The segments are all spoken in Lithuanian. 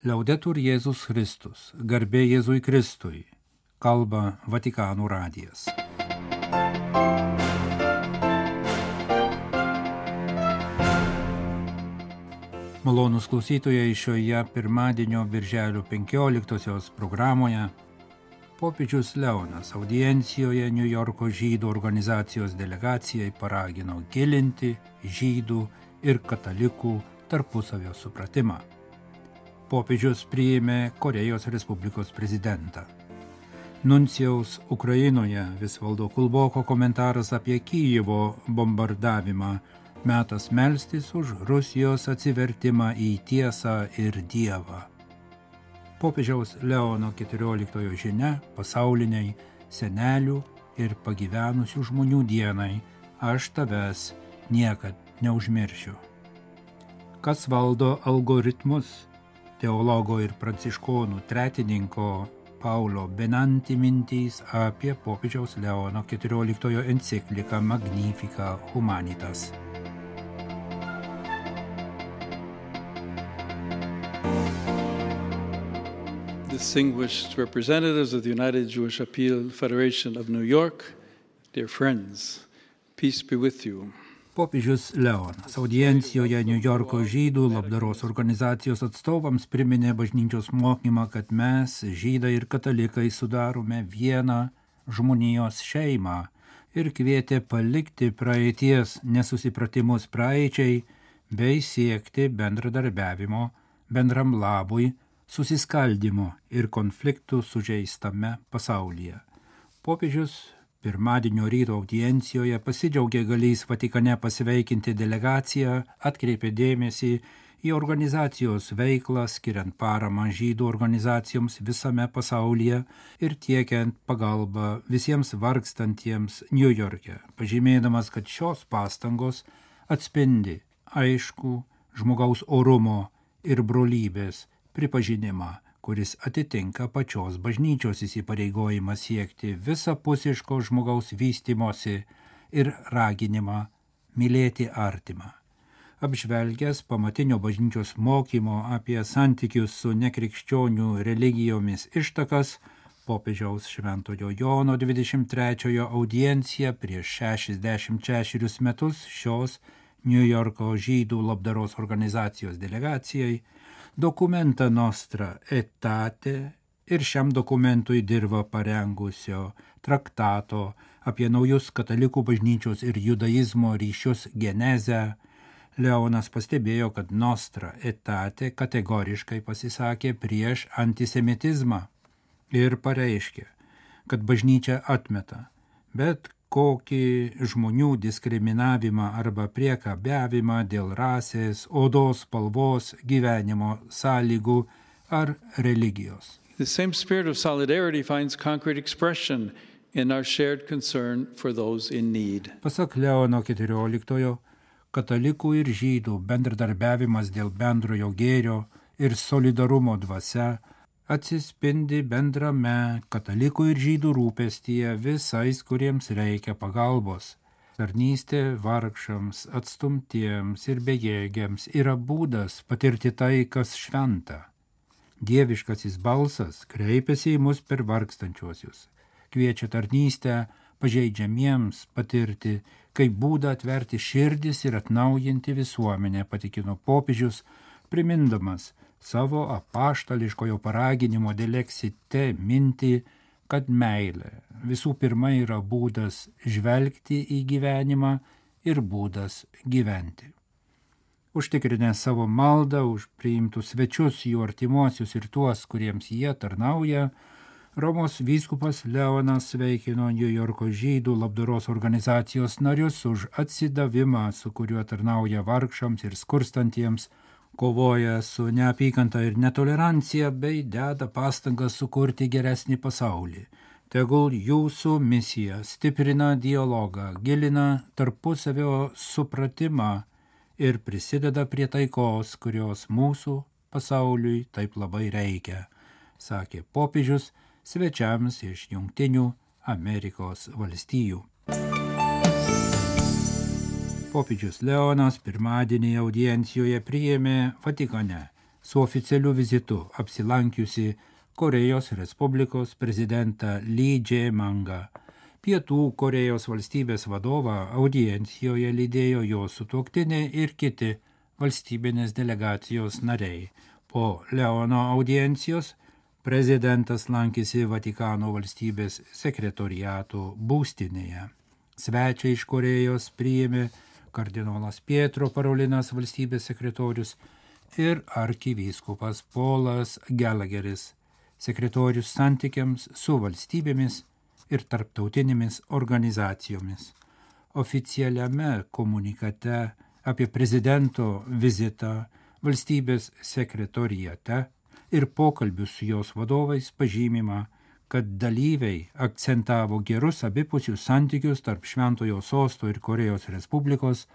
Liaudetur Jėzus Kristus, garbė Jėzui Kristui, kalba Vatikano radijas. Malonūs klausytojai, šioje pirmadienio birželio 15-osios programoje popiežius Leonas audiencijoje Niujorko žydų organizacijos delegacijai paragino gilinti žydų ir katalikų tarpusavio supratimą. Popiežius priėmė Korėjos Respublikos prezidentą. Nuncijaus Ukrainoje Visvaldo Kulboko komentaras apie Kijevo bombardavimą, metas melstis už Rusijos atsivertimą į tiesą ir Dievą. Popiežiaus Leono XIV žinia pasauliniai senelių ir pagyvenusių žmonių dienai, aš tavęs niekad neužmiršiu. Kas valdo algoritmus? Teologo ir pranciškonų tretininko Paulo Benanti mintys apie popiežiaus Leono XIV encikliką Magnificat Humanitas. Distinguished representatives of the United Jewish Appeal Federation of New York, dear friends, peace be with you. Popiežius Leonas audiencijoje Niujorko žydų labdaros organizacijos atstovams priminė bažnyčios mokymą, kad mes, žydai ir katalikai, sudarome vieną žmonijos šeimą ir kvietė palikti praeities nesusipratimus praeičiai bei siekti bendradarbiavimo, bendram labui, susiskaldimo ir konfliktų sužeistame pasaulyje. Popiežius pirmadienio ryto audiencijoje pasidžiaugė galįs Vatikane pasveikinti delegaciją, atkreipė dėmesį į organizacijos veiklą, skiriant paramą žydų organizacijoms visame pasaulyje ir tiekiant pagalbą visiems vargstantiems Niujorke, pažymėdamas, kad šios pastangos atspindi aiškų žmogaus orumo ir brolybės pripažinimą, kuris atitinka pačios bažnyčios įsipareigojimą siekti visapusiško žmogaus vystymosi ir raginimą mylėti artimą. Apžvelgęs pamatinio bažnyčios mokymo apie santykius su nekrikščionių religijomis ištakas, popiežiaus Šventojo Jono 23 audienciją prieš 66 metus šios Niujorko žydų labdaros organizacijos delegacijai Dokumenta Nostra Aetate ir šiam dokumentui dirba parengusio traktato apie naujus katalikų bažnyčios ir judaizmo ryšius genezę. Leonas pastebėjo, kad Nostra Aetate kategoriškai pasisakė prieš antisemitizmą ir pareiškė, kad bažnyčia atmeta bet kokį žmonių diskriminavimą arba priekabiavimą dėl rasės, odos spalvos, gyvenimo sąlygų ar religijos. The same spirit of solidarity finds concrete expression in our shared concern for those in need. Pasak Leono XIV, katalikų ir žydų bendradarbiavimas dėl bendrojo gėrio ir solidarumo dvasia atsispindi bendrame katalikų ir žydų rūpestyje visais, kuriems reikia pagalbos. Tarnystė vargšams, atstumtiems ir bejėgiams yra būdas patirti tai, kas šventa. Dieviškasis balsas kreipiasi į mus per vargstančiuosius. Kviečia tarnystę pažeidžiamiems patirti, kaip būdą atverti širdis ir atnaujinti visuomenę, patikino popiežius, primindamas savo apaštališkojo paraginimo Delexite mintį, kad meilė visų pirma yra būdas žvelgti į gyvenimą ir būdas gyventi. Užtikrinę savo maldą už priimtus svečius, jų artimuosius ir tuos, kuriems jie tarnauja, Romos vyskupas Leonas sveikino Niujorko žydų labdaros organizacijos narius už atsidavimą, su kuriuo tarnauja vargšams ir skurstantiems, kovoja su neapykanta ir netolerancija bei deda pastangas sukurti geresnį pasaulį. Tegul jūsų misija stiprina dialogą, gilina tarpusavio supratimą ir prisideda prie taikos, kurios mūsų pasauliui taip labai reikia, sakė popiežius svečiams iš Jungtinių Amerikos valstijų. Popiežius Leonas pirmadienį audiencijoje priėmė Vatikane su oficialiu vizitu apsilankiusi Korėjos Respublikos prezidentą Lee Jae-myungą. Pietų Korėjos valstybės vadovą audiencijoje lydėjo jo sutuoktinė ir kiti valstybinės delegacijos nariai. Po Leono audiencijos prezidentas lankėsi Vatikano valstybės sekretoriato būstinėje. Svečią iš Korėjos priėmė kardinolas Pietro Parolinas valstybės sekretorius ir arkivyskupas Polas Gallagheris, sekretorius santykiams su valstybėmis ir tarptautinėmis organizacijomis. Oficialiame komunikate apie prezidento vizitą valstybės sekretoriate ir pokalbius su jos vadovais pažymima, kad dalyviai akcentavo gerus abipusius santykius tarp Šventojo Sosto ir Korėjos Respublikos,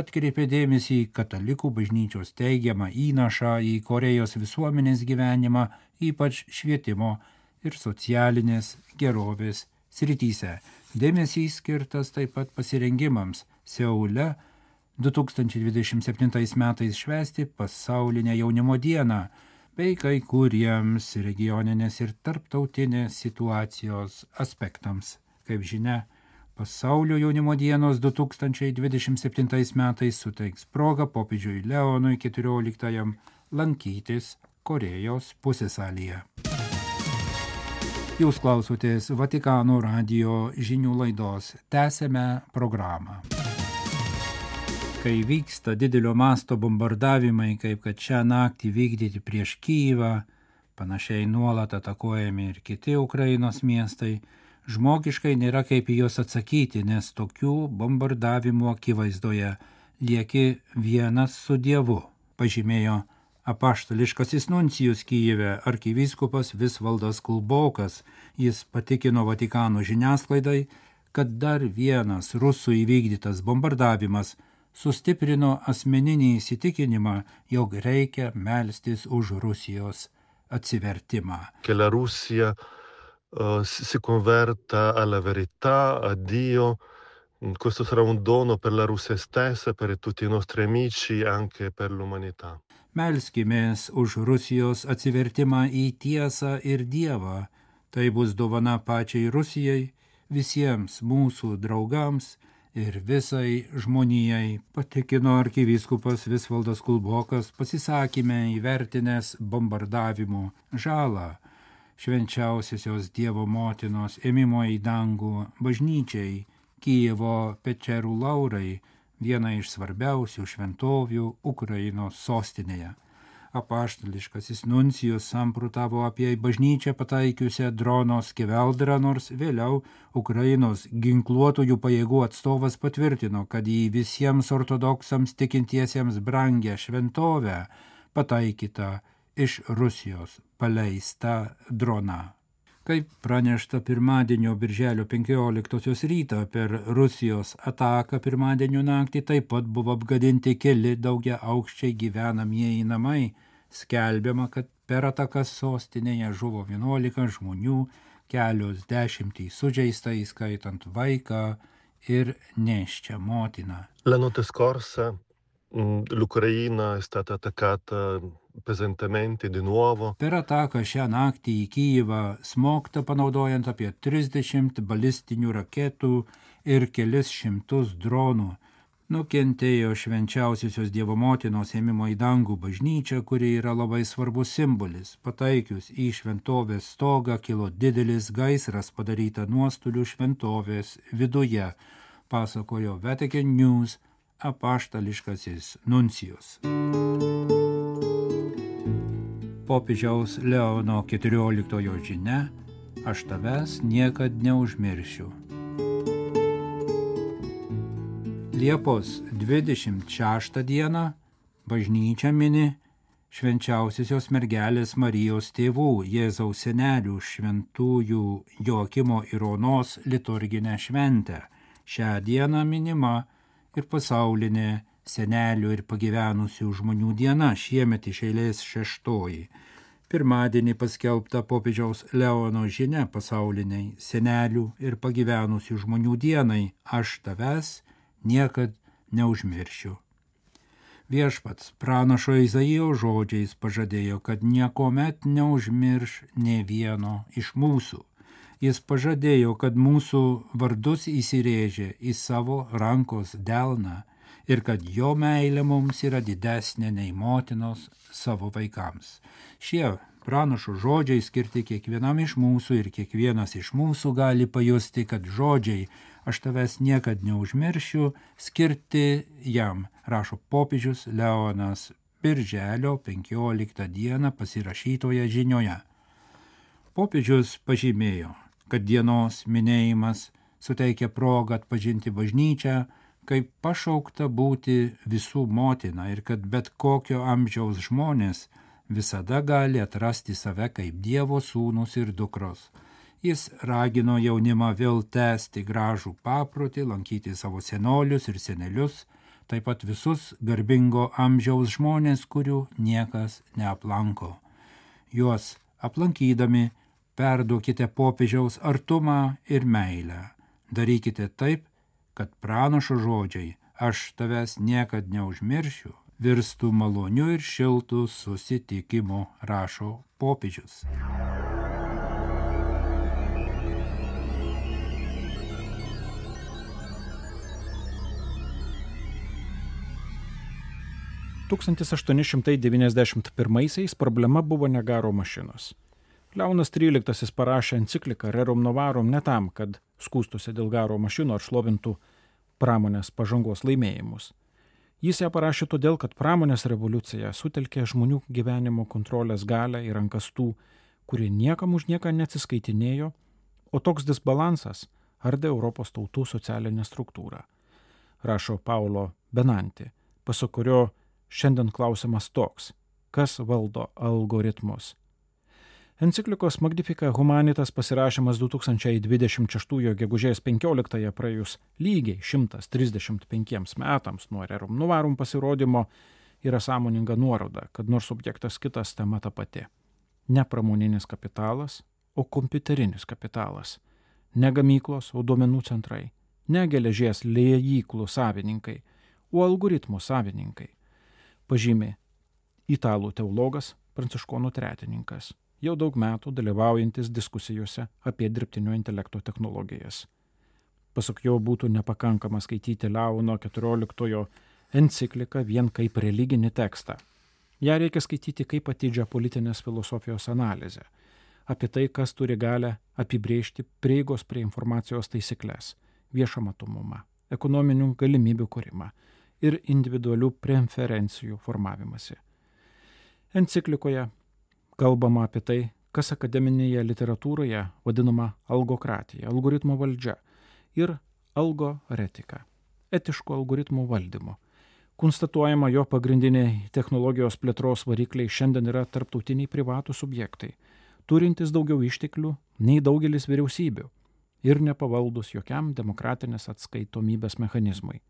atkreipė dėmesį į katalikų bažnyčios teigiamą įnašą į Korėjos visuomenės gyvenimą, ypač švietimo ir socialinės gerovės srityse. Dėmesys skirtas taip pat pasirengimams Seule 2027 metais švęsti pasaulinę jaunimo dieną, bei kai kuriems regioninės ir tarptautinės situacijos aspektams. Kaip žinia, Pasaulio jaunimo dienos 2027 metais suteiks progą popiežiui Leonui XIV lankytis Korėjos pusiasalyje. Jūs klausotės Vatikano radijo žinių laidos. Tęsėme programą. Kai vyksta didelio masto bombardavimai, kaip kad šią naktį vykdyti prieš Kyjivą, panašiai nuolat atakuojami ir kiti Ukrainos miestai, žmogiškai nėra kaip į juos atsakyti, nes tokių bombardavimų akivaizdoje lieki vienas su Dievu, pažymėjo apaštališkasis nuncijus Kyjive arkivyskupas Visvaldas Kulbokas. Jis patikino Vatikano žiniasklaidai, kad dar vienas rusų įvykdytas bombardavimas sustiprino asmeninį įsitikinimą, jog reikia melstis už Rusijos atsivertimą. Che la Russia si converta alla verità, a Dio. Questo sarà un dono per la Russia stessa, per tutti i nostri amici, anche per l'umanità. Melskimės už Rusijos atsivertimą į tiesą ir Dievą. Tai bus dovana pačiai Rusijai, visiems mūsų draugams ir visai žmonijai, patikino arkivyskupas Visvaldas Kulbokas, pasisakyme įvertinęs bombardavimų žalą švenčiausiosios Dievo motinos ėmimo į dangų bažnyčiai, Kyjivo Pečerų laurai, viena iš svarbiausių šventovių Ukrainos sostinėje. Apaštališkasis nuncijus samprotavo apie bažnyčią pataikiusią drono skeveldrą, nors vėliau Ukrainos ginkluotųjų pajėgų atstovas patvirtino, kad į visiems ortodoksams tikintiesiems brangę šventovę pataikyta iš Rusijos paleista drona. Kaip pranešta pirmadienio birželio 15 rytą per Rusijos ataką pirmadienio naktį taip pat buvo apgadinti keli daugia aukščiai gyvenamieji namai. Skelbiama, kad per atakas sostinėje žuvo 11 žmonių, kelios dešimtys sužeista, įskaitant vaiką ir nėščią motiną. La notte scorsa l'Ucraina è stata attaccata pesantemente di nuovo. Per ataką šią naktį į Kyjivą smogta panaudojant apie 30 balistinių raketų ir kelis šimtus dronų. Nukentėjo švenčiausiosios Dievo motinos ėmimo į dangų bažnyčią, kuri yra labai svarbus simbolis. Pataikius į šventovės stogą kilo didelis gaisras, padaryta nuostolių šventovės viduje, pasakojo Vatican News apaštališkasis nuncijus. Popiežiaus Leono XIV žinia: aš tavęs niekad neužmiršiu. Liepos 26 dieną bažnyčia mini švenčiausiosios mergelės Marijos tėvų Jėzaus senelių šventųjų Joakimo ir Onos liturginę šventę. Šią dieną minima ir pasaulinė senelių ir pagyvenusių žmonių diena, šiemet iš eilės 6. Pirmadienį paskelbta popiežiaus Leono žinia pasauliniai senelių ir pagyvenusių žmonių dienai: aš tavęs niekad neužmiršiu. Viešpats pranašo Izaijo žodžiais pažadėjo, kad niekuomet neužmirš nė vieno iš mūsų. Jis pažadėjo, kad mūsų vardus įsirėžė į savo rankos delną ir kad jo meilė mums yra didesnė nei motinos savo vaikams. Šie pranašo žodžiai skirti kiekvienam iš mūsų ir kiekvienas iš mūsų gali pajusti, kad žodžiai aš tavęs niekad neužmiršiu skirti jam, rašo popiežius Leonas birželio 15 dieną pasirašytoje žinioje. Popiežius pažymėjo, kad dienos minėjimas suteikia progą atpažinti bažnyčią kaip pašaukta būti visų motina ir kad bet kokio amžiaus žmonės visada gali atrasti save kaip Dievo sūnus ir dukros. Jis ragino jaunimą vėl tęsti gražų paprotį, lankyti savo senolius ir senelius, taip pat visus garbingo amžiaus žmonės, kurių niekas neaplanko. Juos aplankydami perduokite popiežiaus artumą ir meilę. Darykite taip, kad pranašo žodžiai aš tavęs niekad neužmiršiu virstų maloniu ir šiltu susitikimu, rašo popiežius. (1891) problema buvo ne garo mašinos. Leonas XIII parašė encikliką Rerum Novarum ne tam, kad skųstųsi dėl garo mašinų ar šlovintų pramonės pažangos laimėjimus. Jis ją parašė todėl, kad pramonės revoliucija sutelkė žmonių gyvenimo kontrolės galią į rankas tų, kurie niekam už nieką neatsiskaitinėjo, o toks disbalansas ardė Europos tautų socialinę struktūrą. Rašo Paulo Benanti, pasak kurio šiandien klausimas toks, kas valdo algoritmus. Enciklikos Magnificat Humanitas pasirašymas 2026 gegužės 15 praėjus lygiai 135 metams nuo Rerum Novarum pasirodymo yra sąmoninga nuoroda, kad nors subjektas kitas, tema ta pati. Ne pramoninis kapitalas, o kompiuterinis kapitalas. Ne gamyklos, o duomenų centrai. Ne geležies liejyklų savininkai, o algoritmų savininkai. Pažymė italų teologas Pranciškonų tretininkas, jau daug metų dalyvaujantis diskusijose apie dirbtinio intelekto technologijas. Pasak jo būtų nepakankama skaityti Leono XIV encikliką vien kaip religinį tekstą. Ja reikia skaityti kaip atidžią politinės filosofijos analizę, apie tai, kas turi galę apibrėžti prieigos prie informacijos taisyklės, viešą matomumą, ekonominių galimybių kūrimą ir individualių preferencijų formavimąsi. Enciklikoje kalbama apie tai, kas akademinėje literatūroje vadinama algokratija, algoritmo valdžia ir algoretika, etiško algoritmų valdymo. Konstatuojama, jo pagrindiniai technologijos plėtros varikliai šiandien yra tarptautiniai privatūs subjektai, turintys daugiau išteklių nei daugelis vyriausybių ir nepavaldus jokiam demokratinės atskaitomybės mechanizmui.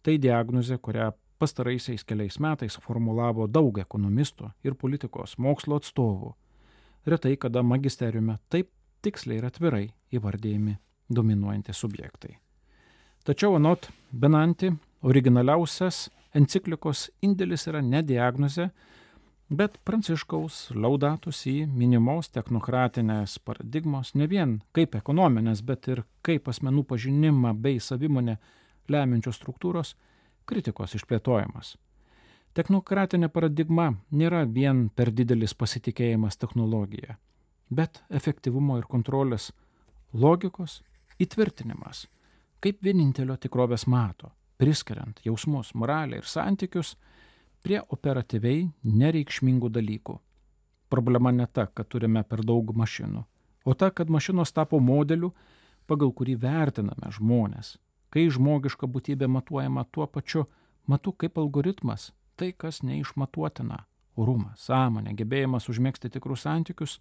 Tai diagnozė, kurią pastaraisiais keliais metais formulavo daug ekonomistų ir politikos mokslo atstovų. Retai kada magisteriume taip tiksliai ir atvirai įvardėjami dominuojantys subjektai. Tačiau anot Benanti, originaliausias enciklikos indėlis yra ne diagnozė, bet Pranciškaus Laudato si minimos technokratinės paradigmos ne vien kaip ekonominės, bet ir kaip asmenų pažinimą bei savimonę lemiančios struktūros kritikos išplėtojimas. Technokratinė paradigma nėra vien per didelis pasitikėjimas technologija, bet efektyvumo ir kontrolės logikos įtvirtinimas, kaip vienintelio tikrovės mato, priskiriant jausmus, moralę ir santykius prie operatyviai nereikšmingų dalykų. Problema ne ta, kad turime per daug mašinų, o ta, kad mašinos tapo modeliu, pagal kurį vertiname žmonės, kai žmogiška būtybė matuojama tuo pačiu matu kaip algoritmas, tai kas neišmatuotina, orumas, sąmonė, gebėjimas užmegzti tikrus santykius,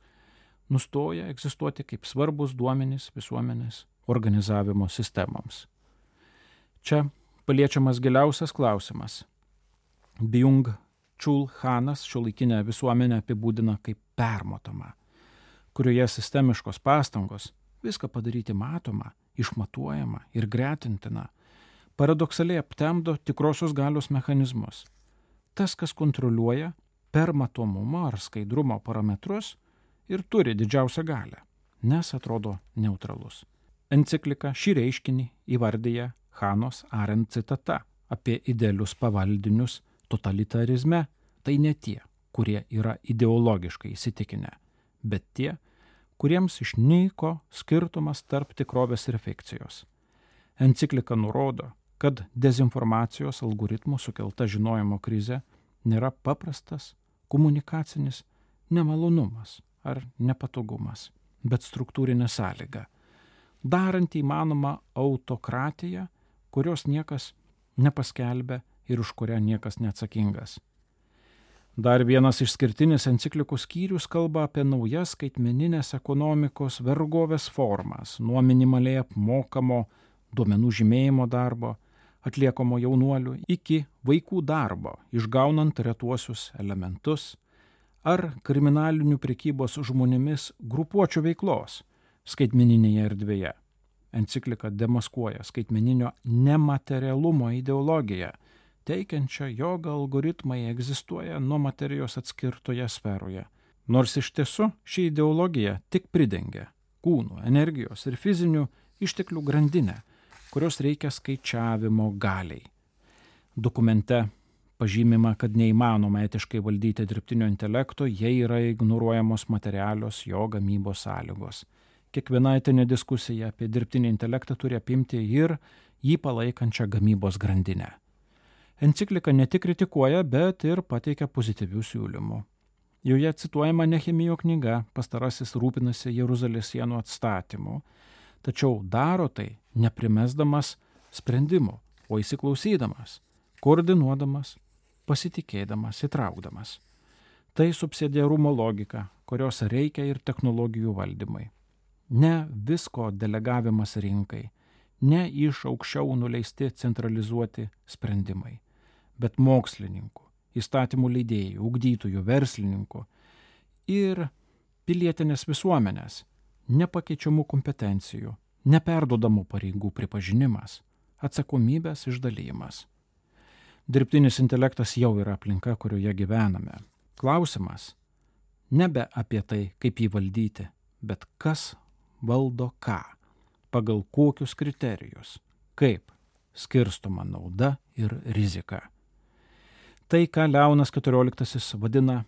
nustoja egzistuoti kaip svarbus duomenys visuomenės organizavimo sistemoms. Čia paliečiamas giliausias klausimas. Byung-Chul Hanas šiuolaikinę visuomenę apibūdina kaip permatomą, kurioje sistemiškos pastangos viską padaryti matomą, išmatuojama ir gretintina, paradoksaliai aptemdo tikrosios galios mechanizmus, tas, kas kontroliuoja per matomumo ar skaidrumo parametrus ir turi didžiausią galią, nes atrodo neutralus. Enciklika šį reiškinį įvardyja Hanos Arendt citata apie idealius pavaldinius totalitarizme. Tai ne tie, kurie yra ideologiškai įsitikinę, bet tie, kuriems išnyko skirtumas tarp tikrovės ir fikcijos. Enciklika nurodo, kad dezinformacijos algoritmų sukelta žinojimo krizė nėra paprastas komunikacinis nemalonumas ar nepatogumas, bet struktūrinė sąlyga, daranti įmanoma autokratiją, kurios niekas nepaskelbė ir už kurią niekas neatsakingas. Dar vienas išskirtinis enciklikų skyrius kalba apie naujas skaitmeninės ekonomikos vergovės formas, nuo minimaliai apmokamo duomenų žymėjimo darbo, atliekamo jaunuolių, iki vaikų darbo, išgaunant retuosius elementus, ar kriminalinių prekybos žmonėmis grupuočių veiklos skaitmeninėje erdvėje. Enciklika demaskuoja skaitmeninio nematerialumo ideologiją, teikiančią, jog algoritmai egzistuoja nuo materijos atskirtoje sferoje. Nors iš tiesų ši ideologija tik pridengia kūnų, energijos ir fizinių išteklių grandinę, kurios reikia skaičiavimo galiai. Dokumente pažymima, kad neįmanoma etiškai valdyti dirbtinio intelekto, jei yra ignoruojamos materialios jo gamybos sąlygos. Kiekviena etinė diskusija apie dirbtinį intelektą turi apimti ir jį palaikančią gamybos grandinę. Enciklika ne tik kritikuoja, bet ir pateikia pozityvių siūlymų. Joje cituojama Nehemijo knyga, pastarasis rūpinasi Jeruzalės sienų atstatymu, tačiau daro tai neprimesdamas sprendimų, o įsiklausydamas, koordinuodamas, pasitikėdamas, įtraukdamas. Tai subsidiarumo logika, kurios reikia ir technologijų valdymai. Ne visko delegavimas rinkai, ne iš aukščiau nuleisti centralizuoti sprendimai, bet mokslininkų, įstatymų leidėjų, ugdytojų, verslininkų ir pilietinės visuomenės nepakeičiamų kompetencijų, neperdodamų pareigų pripažinimas, atsakomybės išdalymas. Dirbtinis intelektas jau yra aplinka, kurioje gyvename. Klausimas nebe apie tai, kaip jį valdyti, bet kas valdo ką, pagal kokius kriterijus, kaip skirstoma nauda ir rizika. Tai, ką Leonas XIV vadina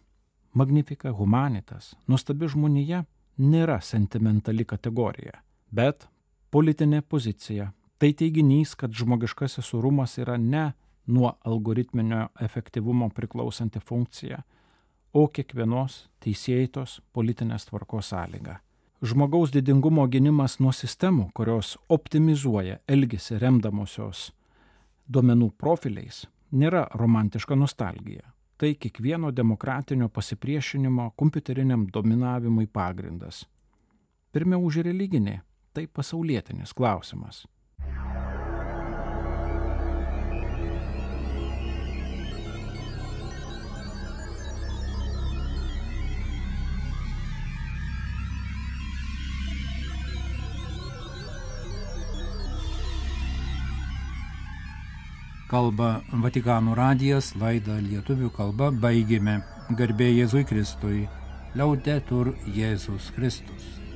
magnifica humanitas, nuostabi žmonija, nėra sentimentali kategorija, bet politinė pozicija. Tai teiginys, kad žmogiškasis orumas yra ne nuo algoritminio efektyvumo priklausanti funkcija, o kiekvienos teisėtos politinės tvarkos sąlyga. Žmogaus didingumo gynimas nuo sistemų, kurios optimizuoja elgesį remdamosios duomenų profiliais, nėra romantiška nostalgija. Tai kiekvieno demokratinio pasipriešinimo kompiuteriniam dominavimui pagrindas. Pirmiau už religinį, tai pasaulietinis klausimas. Kalba Vatikano radijas, laidą lietuvių kalba baigėme. Garbė Jėzui Kristui. Laudetur Jėzus Kristus.